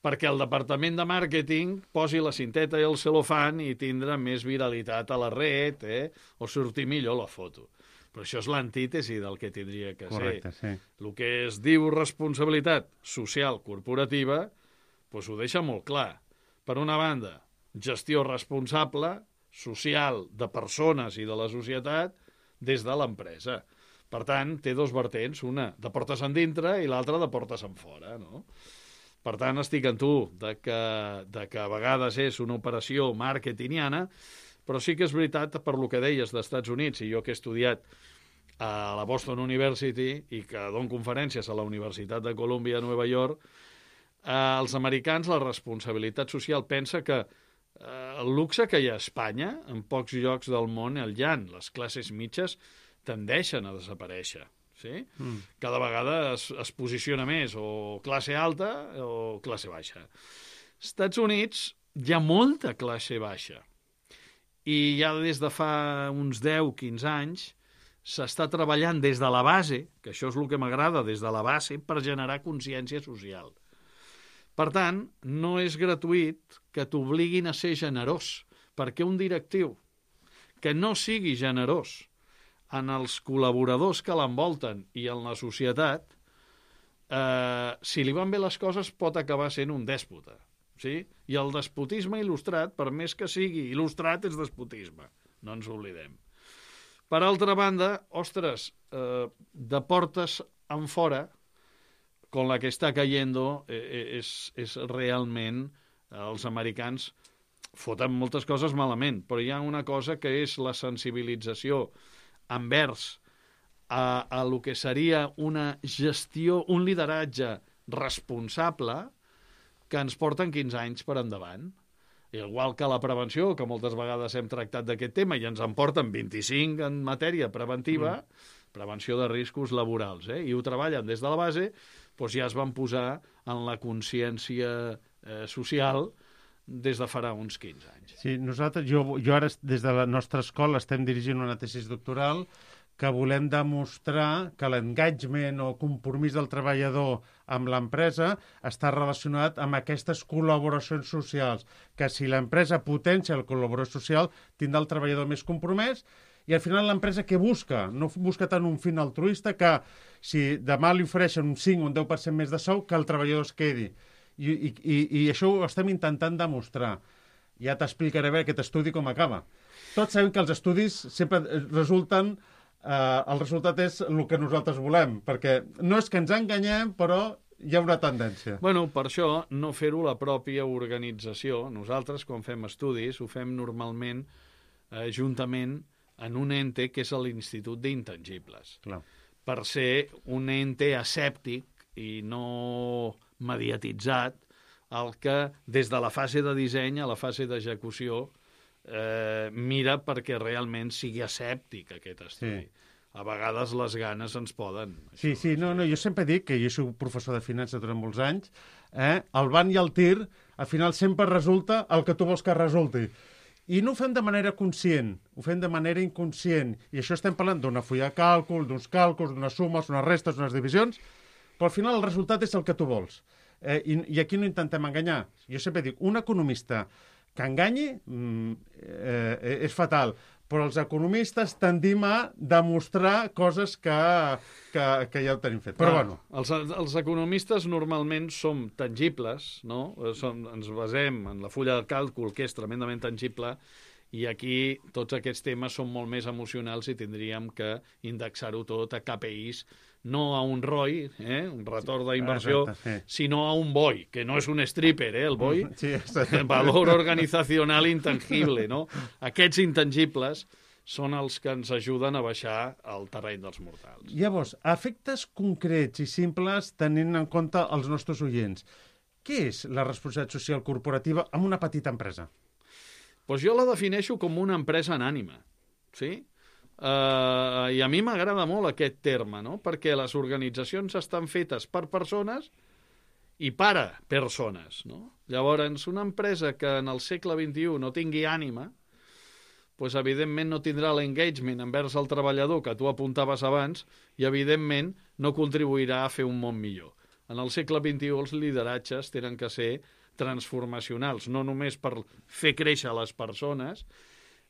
[SPEAKER 9] perquè el departament de màrqueting posi la cinteta i el celofan i tindrà més viralitat a la red, eh? O sortir millor la foto. Però això és l'antítesi del que tindria que
[SPEAKER 2] Correcte,
[SPEAKER 9] ser.
[SPEAKER 2] Sí.
[SPEAKER 9] El que es diu responsabilitat social corporativa, doncs ho deixa molt clar. Per una banda, gestió responsable, social, de persones i de la societat des de l'empresa. Per tant, té dos vertents, una de portes endintre i l'altra de portes enfora, no? Per tant, estic en tu, de que, de que a vegades és una operació marketingiana, però sí que és veritat, per lo que deies dels Estats Units, i jo que he estudiat a la Boston University i que dono conferències a la Universitat de Columbia a Nova York, eh, els americans la responsabilitat social pensa que eh, el luxe que hi ha a Espanya, en pocs llocs del món el hi ha, les classes mitges tendeixen a desaparèixer. Sí? Mm. Cada vegada es, es posiciona més o classe alta o classe baixa. Als Estats Units hi ha molta classe baixa i ja des de fa uns deu a quinze anys s'està treballant des de la base, que això és el que m'agrada, des de la base, per generar consciència social. Per tant, no és gratuït que t'obliguin a ser generós, perquè un directiu que no sigui generós en els col·laboradors que l'envolten i en la societat, eh, si li van bé les coses pot acabar sent un dèspota. sí? I el despotisme il·lustrat, per més que sigui il·lustrat, és despotisme. No ens oblidem. Per altra banda, ostres, eh, de portes en fora, con la que està cayendo, eh, és, és realment... Eh, els americans foten moltes coses malament, però hi ha una cosa que és la sensibilització envers a, a lo que seria una gestió, un lideratge responsable que ens porten quinze anys per endavant. Igual que la prevenció, que moltes vegades hem tractat d'aquest tema i ens en porten vint-i-cinc en matèria preventiva, mm. prevenció de riscos laborals, eh? I ho treballen des de la base, doncs ja es van posar en la consciència eh, social des de farà uns quinze anys.
[SPEAKER 2] Sí, nosaltres, jo, jo ara des de la nostra escola estem dirigint una tesi doctoral que volem demostrar que l'engagement o compromís del treballador amb l'empresa està relacionat amb aquestes col·laboracions socials, que si l'empresa potencia la col·laboració social tindrà el treballador més compromès i al final l'empresa què busca? No busca tant un fin altruista que si demà li ofereixen un cinc o un deu per cent més de sou que el treballador es quedi. I, i, i, i això ho estem intentant demostrar. Ja t'explicaré bé aquest estudi com acaba. Tots sabem que els estudis sempre resulten... Eh, el resultat és el que nosaltres volem, perquè no és que ens enganyem, però hi ha una tendència.
[SPEAKER 9] Bueno, per això, no fer-ho la pròpia organització. Nosaltres, quan fem estudis, ho fem normalment eh, juntament en un ente que és l'Institut d'Intangibles. Clar. Per ser un ente asèptic i no mediatitzat, el que des de la fase de disseny a la fase d'execució eh, mira perquè realment sigui asèptic aquest estudi. Sí. A vegades les ganes ens poden...
[SPEAKER 2] Sí, sí, no, no, jo sempre dic que jo soc professor de finances durant molts anys, eh, el ban i el tir, al final sempre resulta el que tu vols que resulti. I no ho fem de manera conscient, ho fem de manera inconscient. I això estem parlant d'una fulla de càlcul, d'uns càlculs, d'unes sumes, unes restes, unes divisions, però al final el resultat és el que tu vols. Eh, i, I aquí no intentem enganyar. Jo sempre dic, un economista que enganyi eh, és fatal, però els economistes tendim a demostrar coses que, que, que ja ho tenim fet. Però ah, bueno.
[SPEAKER 9] Els, els economistes normalment som tangibles, no? Som, ens basem en la fulla de càlcul, que és tremendament tangible, i aquí tots aquests temes són molt més emocionals i tindríem que indexar-ho tot a K P Is, no a un R O I, eh, un retorn d'inversió, sí, sinó a un B O I, que no és un stripper, eh, el B O I, sí, valor organizacional intangible, no? Aquests intangibles són els que ens ajuden a baixar al terreny dels mortals.
[SPEAKER 2] Llavors, efectes concrets i simples tenint en compte els nostres oients. Què és la responsabilitat social corporativa en una petita empresa?
[SPEAKER 9] Pues jo la defineixo com una empresa anànima, sí? Uh, I a mi m'agrada molt aquest terme, no? Perquè les organitzacions estan fetes per persones i per a persones, no? Llavors, una empresa que en el segle vint-i-u no tingui ànima, pues, evidentment no tindrà l'engagement envers el treballador que tu apuntaves abans i, evidentment, no contribuirà a fer un món millor. En el segle vint-i-u els lideratges tenen que ser transformacionals, no només per fer créixer les persones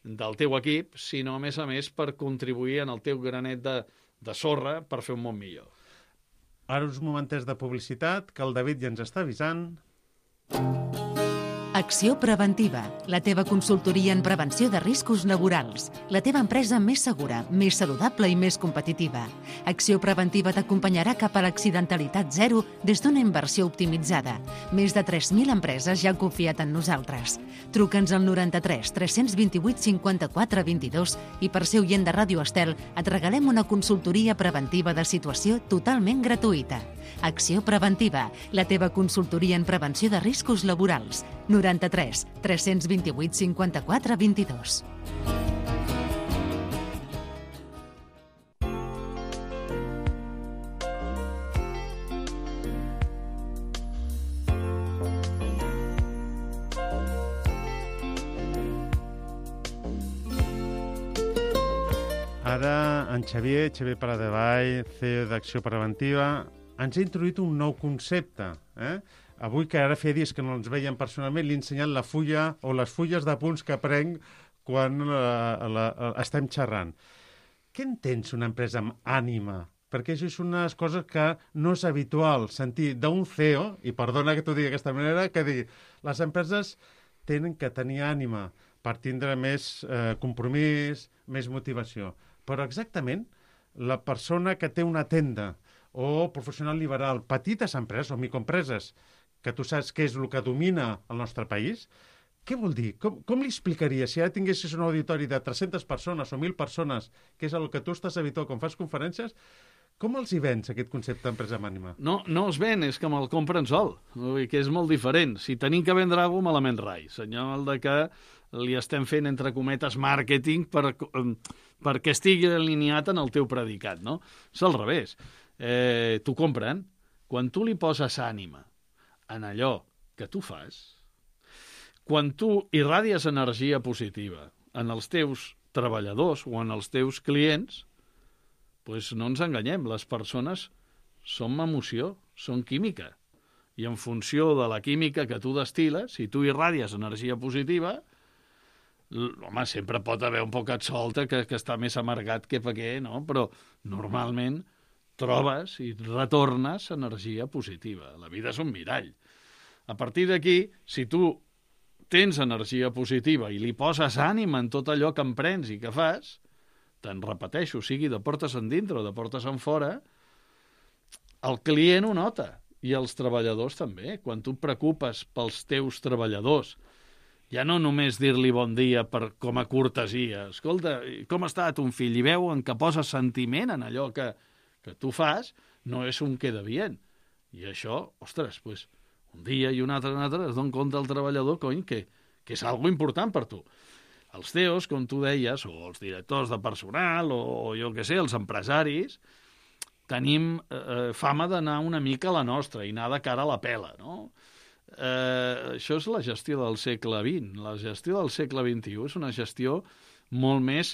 [SPEAKER 9] del teu equip, sinó, a més a més, per contribuir en el teu granet de, de sorra per fer un món millor.
[SPEAKER 2] Ara uns momentets de publicitat, que el David ja ens està avisant.
[SPEAKER 4] Acció Preventiva, la teva consultoria en prevenció de riscos laborals. La teva empresa més segura, més saludable i més competitiva. Acció Preventiva t'acompanyarà cap a l'accidentalitat zero des d'una inversió optimitzada. Més de tres mil empreses ja han confiat en nosaltres. Truca'ns al noranta-tres tres cents vint-i-vuit cinquanta-quatre vint-i-dos i per ser oient de Ràdio Estel et regalem una consultoria preventiva de situació totalment gratuïta. Acció Preventiva, la teva consultoria en prevenció de riscos laborals. noranta-tres tres cents vint-i-vuit cinquanta-quatre vint-i-dos.
[SPEAKER 2] Ara en Xavier, Xavier Paladevall, C E O d'Acció Preventiva, ens ha introduït un nou concepte, eh? Avui, que ara feia dies que no ens veiem personalment, li he ensenyat la fulla o les fulles de punts que prenc quan la, la, la, estem xerrant. Què entens una empresa amb ànima perquè això és unes coses que no és habitual sentir d'un C E O, i perdona que t'ho digui d'aquesta manera, que digui, les empreses tenen que tenir ànima per tindre més eh, compromís, més motivació. Però exactament, la persona que té una tenda o professional liberal, petites empreses o microempreses, que tu saps què és el que domina el nostre país, què vol dir? Com, com li explicaria si ara tinguessis un auditori de tres-centes persones o mil persones, que és el que tu estàs habituat quan fas conferències, com els hi vens, aquest concepte d'empresa amb ànima?
[SPEAKER 9] No, no els ven, és que me'l compren sol, vull dir que és molt diferent. Si tenim que vendre alguna cosa, malament rai. Senyal de que li estem fent, entre cometes, màrqueting per, perquè estigui alineat en el teu predicat, no? És al revés. Eh, t'ho compren. Quan tu li poses ànima en allò que tu fas, quan tu irradies energia positiva en els teus treballadors o en els teus clients, doncs no ens enganyem, les persones són emoció, són química. I en funció de la química que tu destil·les, si tu irradies energia positiva, home, sempre pot haver un poquet solta que, que està més amargat que per què, no? Però normalment trobes i retornes energia positiva. La vida és un mirall. A partir d'aquí, si tu tens energia positiva i li poses ànima en tot allò que emprens i que fas, te'n repeteixo, sigui de portes endintre o de portes enfora, el client ho nota i els treballadors també. Quan tu et preocupes pels teus treballadors, ja no només dir-li bon dia per, com a cortesia, escolta, com ha estat un fill? I veuen que poses sentiment en allò que, que tu fas, no és un queda bien. I això, ostres, pues, un dia i un altre, un altre, es dona compte el treballador, cony, que, que és algo important per tu. Els C E Os, com tu deies, o els directors de personal, o, o jo què sé, els empresaris, tenim eh, fama d'anar una mica a la nostra i anar de cara a la pela, no? Eh, això és la gestió del segle vint. La gestió del segle vint-i-u és una gestió molt més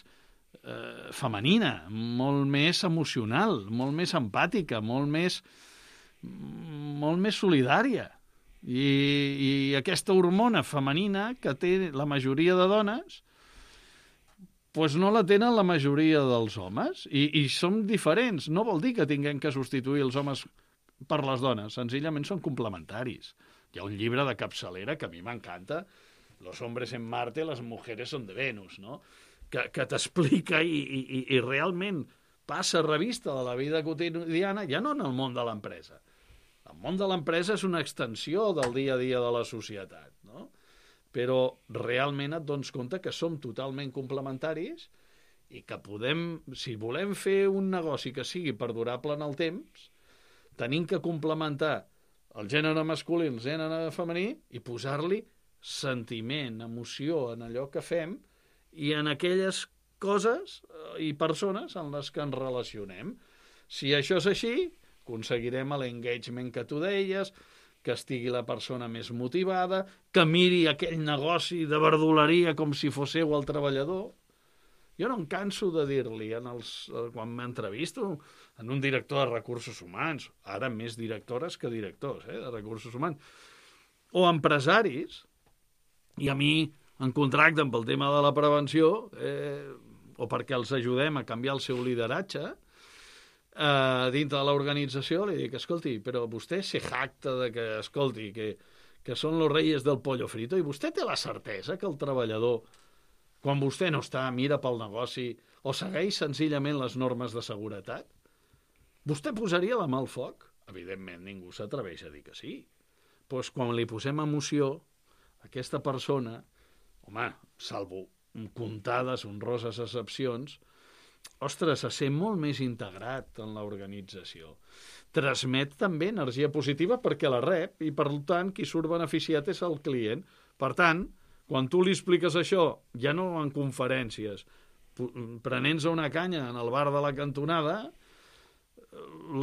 [SPEAKER 9] eh, femenina, molt més emocional, molt més empàtica, molt més, molt més solidària. I, i aquesta hormona femenina que té la majoria de dones, pues no la tenen la majoria dels homes, i, i som diferents. No vol dir que tinguem que substituir els homes per les dones, senzillament són complementaris. Hi ha un llibre de capçalera que a mi m'encanta, Los hombres en Marte, las mujeres son de Venus, no? que, que t'explica i, i, i realment passa revista de la vida quotidiana, ja no en el món de l'empresa. El món de l'empresa és una extensió del dia a dia de la societat, no? Però realment et dones compte que som totalment complementaris i que podem, si volem fer un negoci que sigui perdurable en el temps, tenim que complementar el gènere masculí i el gènere femení i posar-li sentiment, emoció en allò que fem i en aquelles coses i persones en les que ens relacionem. Si això és així, aconseguirem l'engagement que tu deies, que estigui la persona més motivada, que miri aquell negoci de verdoleria com si fos seu el treballador. Jo no em canso de dir-li, en els, quan m'entrevisto, en un director de recursos humans, ara més directores que directors eh, de recursos humans, o empresaris, i a mi en contracten pel tema de la prevenció, eh, o perquè els ajudem a canviar el seu lideratge, Uh, dintre de l'organització, li dic, escolti, però vostè se jacta de que, escolti, que, que són los reyes del pollo frito, i vostè té la certesa que el treballador, quan vostè no està, mira pel negoci o segueix senzillament les normes de seguretat? Vostè posaria la mà al foc? Evidentment, ningú s'atreveix a dir que sí. Doncs quan li posem emoció, aquesta persona, home, salvo comptades honroses excepcions, ostres, se sent molt més integrat en l'organització. Transmet també energia positiva perquè la rep i, per tant, qui surt beneficiat és el client. Per tant, quan tu li expliques això, ja no en conferències, prenent-se una canya en el bar de la cantonada,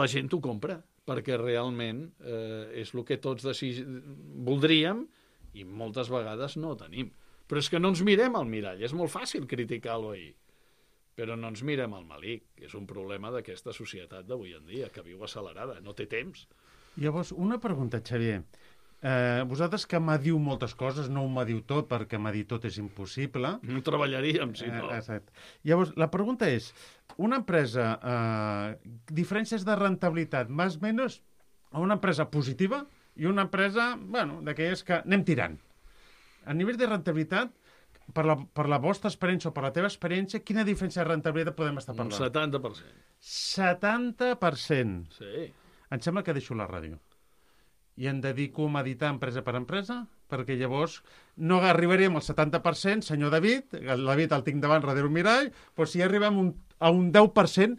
[SPEAKER 9] la gent ho compra, perquè realment eh, és el que tots desig... voldríem i moltes vegades no tenim. Però és que no ens mirem al mirall, és molt fàcil criticar-lo ahir. Però no ens mirem al malic, que és un problema d'aquesta societat d'avui en dia, que viu accelerada, no té temps.
[SPEAKER 2] Llavors, una pregunta, Xavier. Eh, vosaltres que mediu moltes coses, no ho mediu tot, perquè medir tot és impossible.
[SPEAKER 9] No treballaríem, si no.
[SPEAKER 2] Eh, exacte. Llavors, la pregunta és, una empresa, eh, diferències de rentabilitat, més o menys, una empresa positiva i una empresa, bueno, d'aquelles que anem tirant. A nivell de rentabilitat, per la, per la vostra experiència o per la teva experiència, quina diferència de rentabilitat podem estar parlant?
[SPEAKER 9] Un setanta per cent.
[SPEAKER 2] setanta per cent.
[SPEAKER 9] Sí.
[SPEAKER 2] Em sembla que deixo la ràdio. I em dedico a meditar empresa per empresa, perquè llavors no arribaríem al setanta per cent, senyor David, el David el tinc davant darrere un mirall, però si arribem un, a un deu per cent,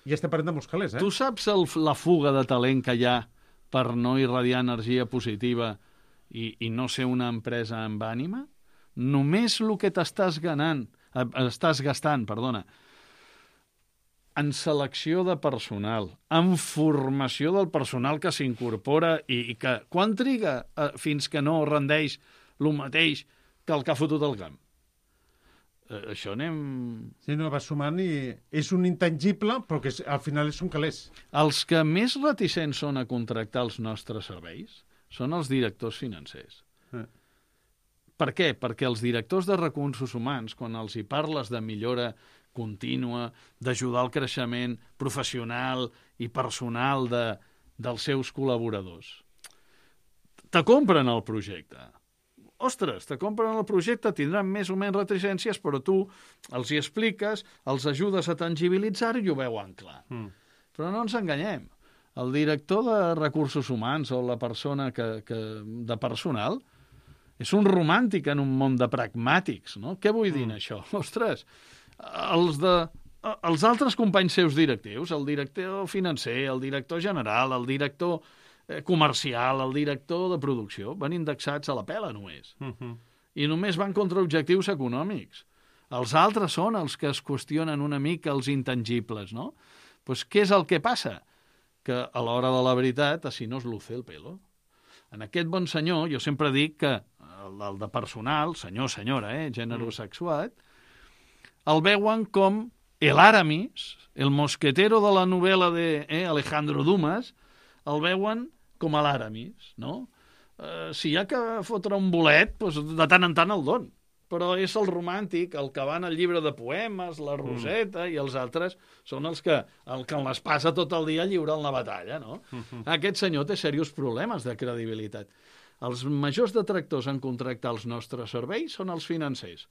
[SPEAKER 2] ja estem parlant de molts calés, eh?
[SPEAKER 9] Tu saps el, la fuga de talent que hi ha per no irradiar energia positiva i, i no ser una empresa amb ànima? Només el que t'estàs ganant, eh, estàs gastant, perdona, en selecció de personal, en formació del personal que s'incorpora i, i que quan triga eh, fins que no rendeix el mateix que el que ha fotut el camp? Eh, això anem...
[SPEAKER 2] Sí, no, va sumant i és un intangible, però que és, al final són calés.
[SPEAKER 9] Els que més reticents són a contractar els nostres serveis són els directors financers.
[SPEAKER 2] Eh.
[SPEAKER 9] Per què? Perquè els directors de recursos humans, quan els hi parles de millora contínua, d'ajudar al creixement professional i personal de, dels seus col·laboradors, te compren el projecte. Ostres, te compren el projecte, tindran més o menys reticències, però tu els hi expliques, els ajudes a tangibilitzar-ho i ho veuen clar. Mm. Però no ens enganyem. El director de recursos humans o la persona que, que, de personal és un romàntic en un món de pragmàtics, no? Què vull dir mm. això? Ostres, els, de, els altres companys seus directius, el director financer, el director general, el director comercial, el director de producció, van indexats a la pela només. Uh-huh. I només van contra objectius econòmics. Els altres són els que es qüestionen una mica els intangibles, no? Pues, què és el que passa? Que a l'hora de la veritat, així no es luce el pelo. En aquest bon senyor, jo sempre dic que el, el de personal, senyor, senyora, eh, gènere sexuat, el veuen com el Aramis, el mosquetero de la novel·la de eh, Alejandro Dumas, el veuen com a l'Aramis, no? Eh, si hi ha que fotre un bolet, doncs de tant en tant el don. Però és el romàntic, el que va en el llibre de poemes, la Roseta, mm. i els altres són els que, el que les passa tot el dia lliurant la batalla, no? Mm-hmm. Aquest senyor té serios problemes de credibilitat. Els majors detractors en contractar els nostres serveis són els financers.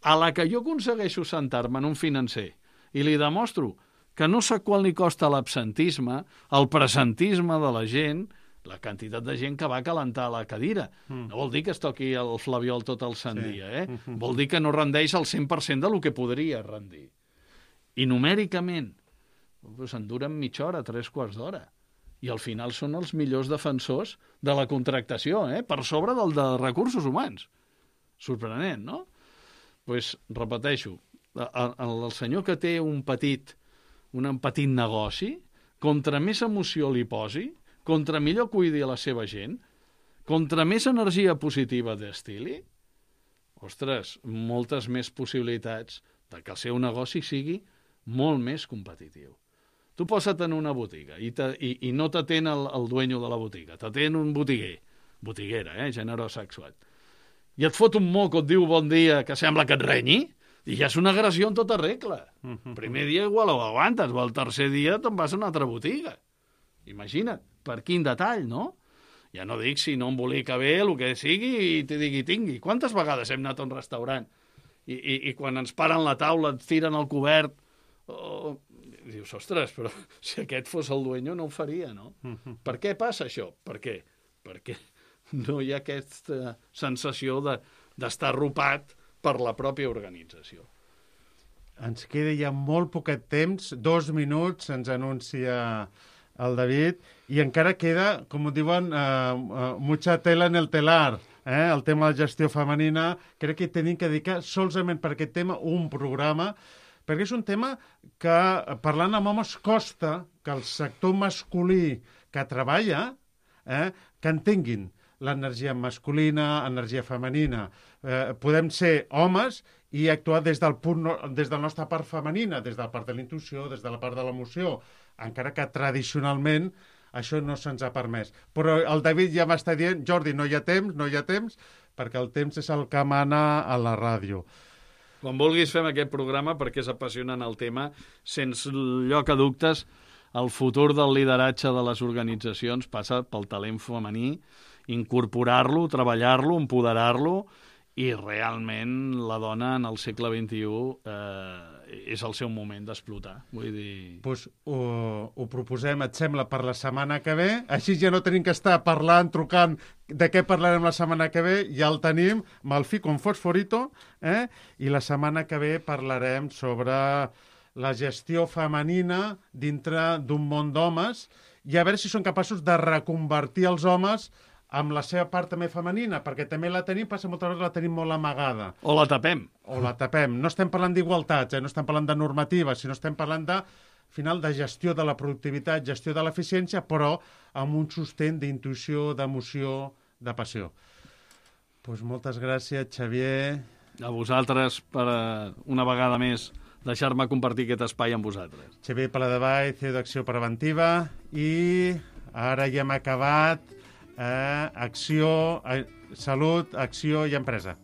[SPEAKER 9] A la que jo aconsegueixo sentar-me en un financer i li demostro que no sé quant li costa l'absentisme, el presentisme de la gent, la quantitat de gent que va calentar la cadira. Mm. No vol dir que es toqui el flabiol tot el sant sí. dia, eh? Mm-hmm. Vol dir que no rendeix el cent per cent del que podria rendir. I numèricament, doncs en duren mitja hora, tres quarts d'hora. I al final són els millors defensors de la contractació, eh? Per sobre del de recursos humans. Sorprenent, no? Doncs, repeteixo, el, el senyor que té un petit, un petit negoci, contra més emoció li posi, contra millor cuidi a la seva gent, contra més energia positiva destili, ostres, moltes més possibilitats de que el seu negoci sigui molt més competitiu. Tu posa't en una botiga i, te, i, i no t'atén el, el dueño de la botiga, t'atén un botiguer, botiguera, eh, gènere sexuat, i et fot un moc o et diu bon dia que sembla que et renyi, i ja és una agressió en tota regla. Mm-hmm. Primer dia igual ho aguantes, o el tercer dia te'n vas a una altra botiga. Imagina't, per quin detall, no? Ja no dic si no embolica bé, el que sigui, i t'hi digui tingui. Quantes vegades hem anat a un restaurant i, i, i quan ens paren la taula et tiren el cobert, oh, dius, ostres, però si aquest fos el dueño no ho faria, no? Mm-hmm. Per què passa això? Per què? Perquè no hi ha aquesta sensació de, d'estar arropat per la pròpia organització.
[SPEAKER 2] Ens queda ja molt poquet temps, dos minuts, ens anuncia el David, i encara queda, com ho diuen, uh, uh, mucha tela en el telar, eh? El tema de la gestió femenina. Crec que tenim que dedicar solament per aquest tema un programa, perquè és un tema que, parlant amb homes, costa que el sector masculí que treballa, eh, que entenguin l'energia masculina, energia femenina. Eh, podem ser homes i actuar des del punt, no, des de la nostra part femenina, des de la part de la intuïció, des de la part de l'emoció, encara que tradicionalment això no se'ns ha permès. Però el David ja m'està dient, Jordi, no hi ha temps, no hi ha temps, perquè el temps és el que mana a la ràdio.
[SPEAKER 9] Quan vulguis fem aquest programa, perquè és apassionant el tema, sense lloc a dubtes, el futur del lideratge de les organitzacions passa pel talent femení, incorporar-lo, treballar-lo, empoderar-lo, i realment la dona en el segle vint-i-u eh, és el seu moment d'explotar. Vull dir...
[SPEAKER 2] Pues ho, ho proposem, et sembla, per la setmana que ve. Així ja no tenim que estar parlant, trucant de què parlarem la setmana que ve. Ja el tenim, Malfi con fosforito, eh? I la setmana que ve parlarem sobre la gestió femenina dintre d'un món d'homes i a veure si són capaços de reconvertir els homes amb la seva part també femenina, perquè també la tenim, passa moltes vegades la tenim molt amagada.
[SPEAKER 9] O la tapem.
[SPEAKER 2] O la tapem. No estem parlant d'igualtats, eh? No estem parlant de normatives, sinó estem parlant de, al final, de gestió de la productivitat, gestió de l'eficiència, però amb un sostén d'intuïció, d'emoció, de passió. Pues moltes gràcies, Xavier.
[SPEAKER 9] A vosaltres, per una vegada més, deixar-me compartir aquest espai amb vosaltres.
[SPEAKER 2] Xavier Paladevall, C E O d'Acció Preventiva, i ara ja hem acabat Eh, acció, eh, salut, acció i empresa.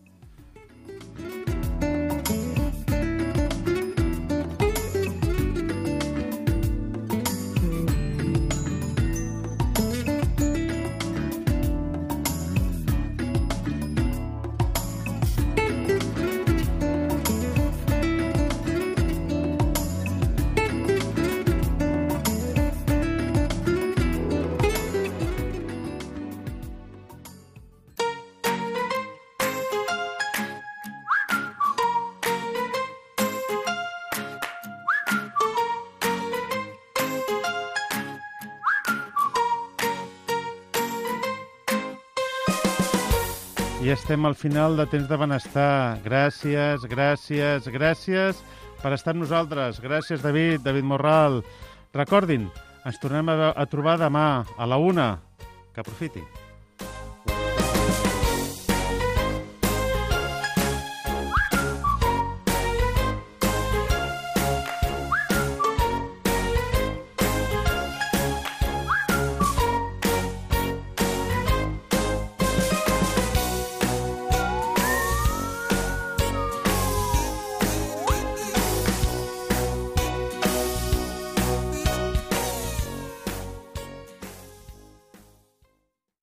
[SPEAKER 2] I estem al final de Temps de Benestar. Gràcies, gràcies, gràcies per estar amb nosaltres. Gràcies, David, David Morral. Recordin, ens tornem a, a trobar demà a la una. Que aprofiti.